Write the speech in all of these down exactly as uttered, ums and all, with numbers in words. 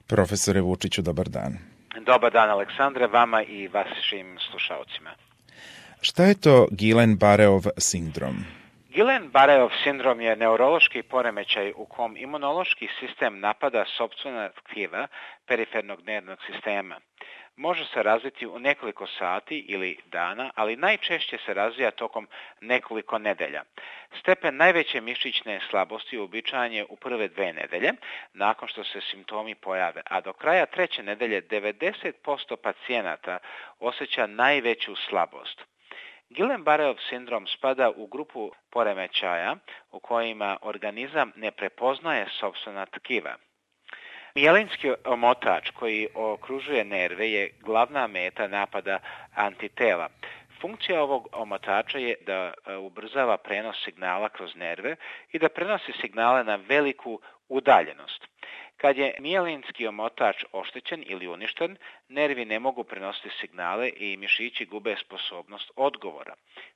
Profesore Vučiću, dobar dan. Dobar dan, Aleksandre, vama i vašim slušalcima. Šta je to Guillain-Barréov sindrom? Guillain-Barréov sindrom je neurološki poremećaj u kom imunološki sistem napada sopstvena tkiva perifernog nervnog sistema. Može se razviti u nekoliko sati ili dana, ali najčešće se razvija tokom nekoliko nedelja. Stepen najveće mišićne slabosti uobičajen je u prve dve nedelje, nakon što se simptomi pojave, a do kraja treće nedelje devedeset posto pacijenata osjeća najveću slabost. Guillain-Barréov sindrom spada u grupu poremećaja u kojima organizam ne prepoznaje sopstvena tkiva. Mijelinski omotač koji okružuje nerve je glavna meta napada antitela. Funkcija ovog omotača je da ubrzava prenos signala kroz nerve i da prenosi signale na veliku udaljenost. Kad je mijelinski omotač oštećen ili uništen, nervi ne mogu prenositi signale i mišići gube sposobnost odgovora.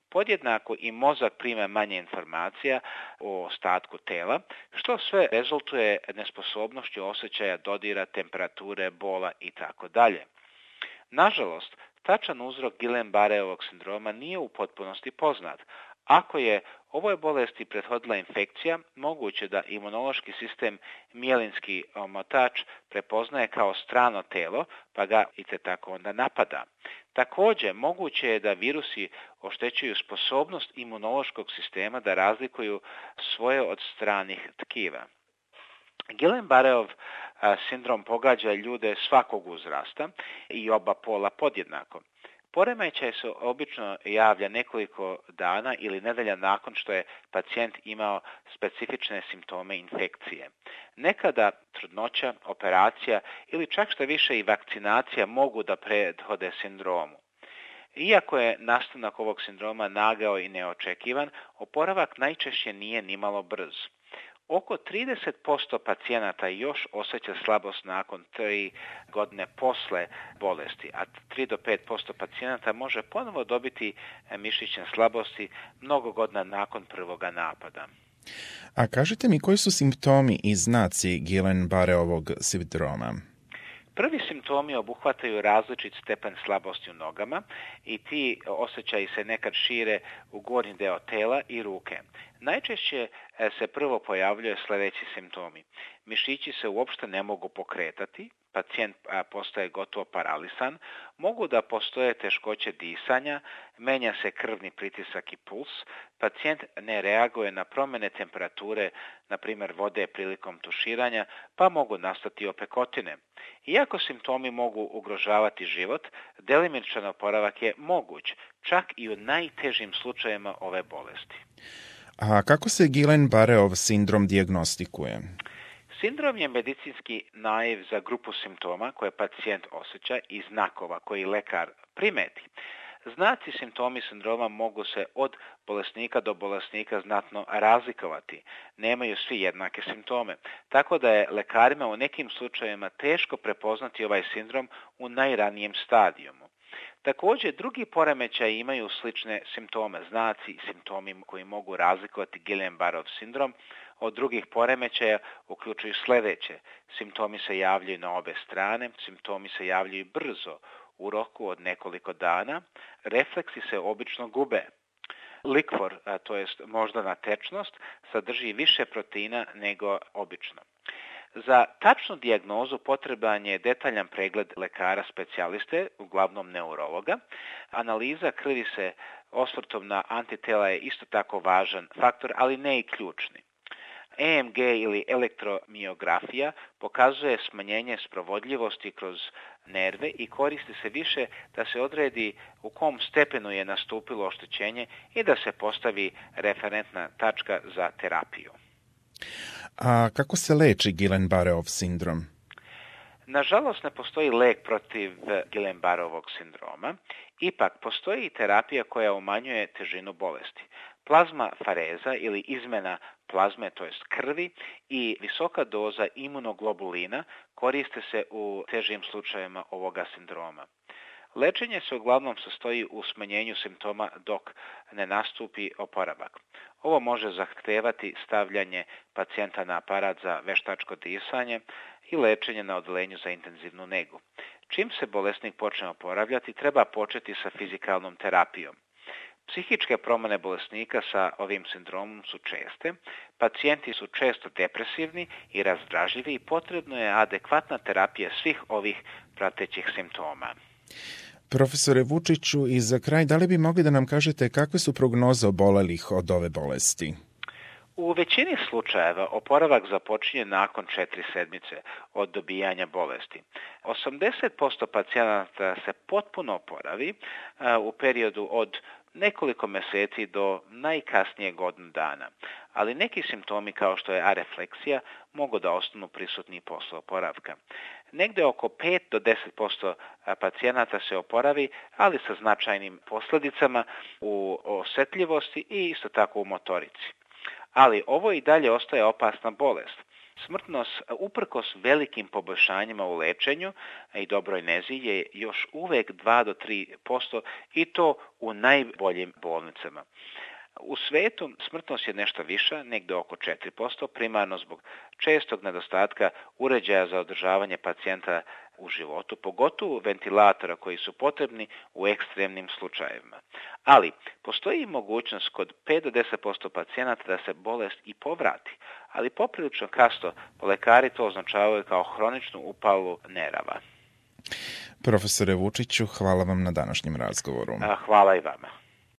Podjednako i mozak prima manje informacija o ostatku tela, što sve rezultuje nesposobnošću osjećaja dodira, temperature, bola itd. Nažalost, tačan uzrok Guillain-Barréovog sindroma nije u potpunosti poznat. Ako je ovoj bolesti prethodila infekcija, moguće da imunološki sistem mijelinski omotač prepoznaje kao strano telo, pa ga i te tako onda napada. Također, moguće je da virusi oštećuju sposobnost imunološkog sistema da razlikuju svoje od stranih tkiva. Guillain-Barréov sindrom pogađa ljude svakog uzrasta i oba pola podjednako. Poremećaj se obično javlja nekoliko dana ili nedelja nakon što je pacijent imao specifične simptome infekcije. Nekada trudnoća, operacija ili čak što više i vakcinacija mogu da prethode sindromu. Iako je nastanak ovog sindroma nagao i neočekivan, oporavak najčešće nije nimalo brz. Oko trideset posto pacijenata još osjeća slabost nakon tri godine posle bolesti, a tri do pet posto pacijenata može ponovo dobiti mišićne slabosti mnogo godina nakon prvoga napada. A kažite mi, koji su simptomi i znaci Guillain-Barréovog sindroma? Prvi simptomi obuhvataju različit stepen slabosti u nogama i ti osjećaji se nekad šire u gornji deo tela i ruke. Najčešće se prvo pojavljuje sljedeći simptomi. Mišići se uopšte ne mogu pokretati, pacijent postaje gotovo paralisan, mogu da postoje teškoće disanja, menja se krvni pritisak i puls, pacijent ne reaguje na promjene temperature, na primjer vode prilikom tuširanja, pa mogu nastati opekotine. Iako simptomi mogu ugrožavati život, delimičan oporavak je moguć, čak i u najtežim slučajevima ove bolesti. A kako se Guillain-Barréov sindrom dijagnostikuje? Sindrom je medicinski naziv za grupu simptoma koje pacijent osjeća i znakova koji lekar primeti. Znaci simptomi sindroma mogu se od bolesnika do bolesnika znatno razlikovati. Nemaju svi jednake simptome, tako da je lekarima u nekim slučajevima teško prepoznati ovaj sindrom u najranijem stadijumu. Također, drugi poremećaji imaju slične simptome, znaci i simptomi koji mogu razlikovati Guillain-Barréov sindrom od drugih poremećaja uključuju sljedeće. Simptomi se javljaju na obe strane, simptomi se javljaju brzo, u roku od nekoliko dana, refleksi se obično gube. Likvor, to jest moždana tečnost, sadrži više proteina nego obično. Za tačnu dijagnozu potreban je detaljan pregled lekara specijaliste, uglavnom neurologa. Analiza krvi se osvrtom na antitela je isto tako važan faktor, ali ne i ključni. E M G ili elektromiografija pokazuje smanjenje sprovodljivosti kroz nerve i koristi se više da se odredi u kom stepenu je nastupilo oštećenje i da se postavi referentna tačka za terapiju. A kako se leči Guillain-Barréov sindrom? Nažalost, ne postoji lek protiv Guillain-Barréovog sindroma, ipak postoji terapija koja umanjuje težinu bolesti. Plazma fareza ili izmjena plazme, to jest krvi, i visoka doza imunoglobulina koriste se u težim slučajevima ovoga sindroma. Lečenje se uglavnom sastoji u smanjenju simptoma dok ne nastupi oporavak. Ovo može zahtevati stavljanje pacijenta na aparat za veštačko disanje i lečenje na odelenju za intenzivnu negu. Čim se bolesnik počne oporavljati, treba početi sa fizikalnom terapijom. Psihičke promjene bolesnika sa ovim sindromom su česte, pacijenti su često depresivni i razdražljivi i potrebno je adekvatna terapija svih ovih pratećih simptoma. Profesore Vučiću, i za kraj, da li bi mogli da nam kažete kakve su prognoze obolelih od ove bolesti? U većini slučajeva oporavak započinje nakon četiri sedmice od dobijanja bolesti. osamdeset posto pacijenata se potpuno oporavi u periodu od nekoliko mjeseci do najkasnije godinu dana, ali neki simptomi kao što je arefleksija mogu da ostanu prisutni posle oporavka. Negde oko pet do deset posto pacijenata se oporavi, ali sa značajnim posljedicama u osjetljivosti i isto tako u motorici. Ali ovo i dalje ostaje opasna bolest. Smrtnost, uprkos velikim poboljšanjima u lečenju i dobroj nezi, je još uvek dva do tri posto i to u najboljim bolnicama. U svetu smrtnost je nešto viša, negdje oko četiri posto, primarno zbog čestog nedostatka uređaja za održavanje pacijenta u životu, pogotovo ventilatora koji su potrebni u ekstremnim slučajevima. Ali postoji mogućnost kod pet do deset posto pacijenata da se bolest i povrati, ali poprilično kasno lekari to označavaju kao hroničnu upalu nerava. Profesore Vučiću, hvala vam na današnjem razgovoru. Hvala i vama.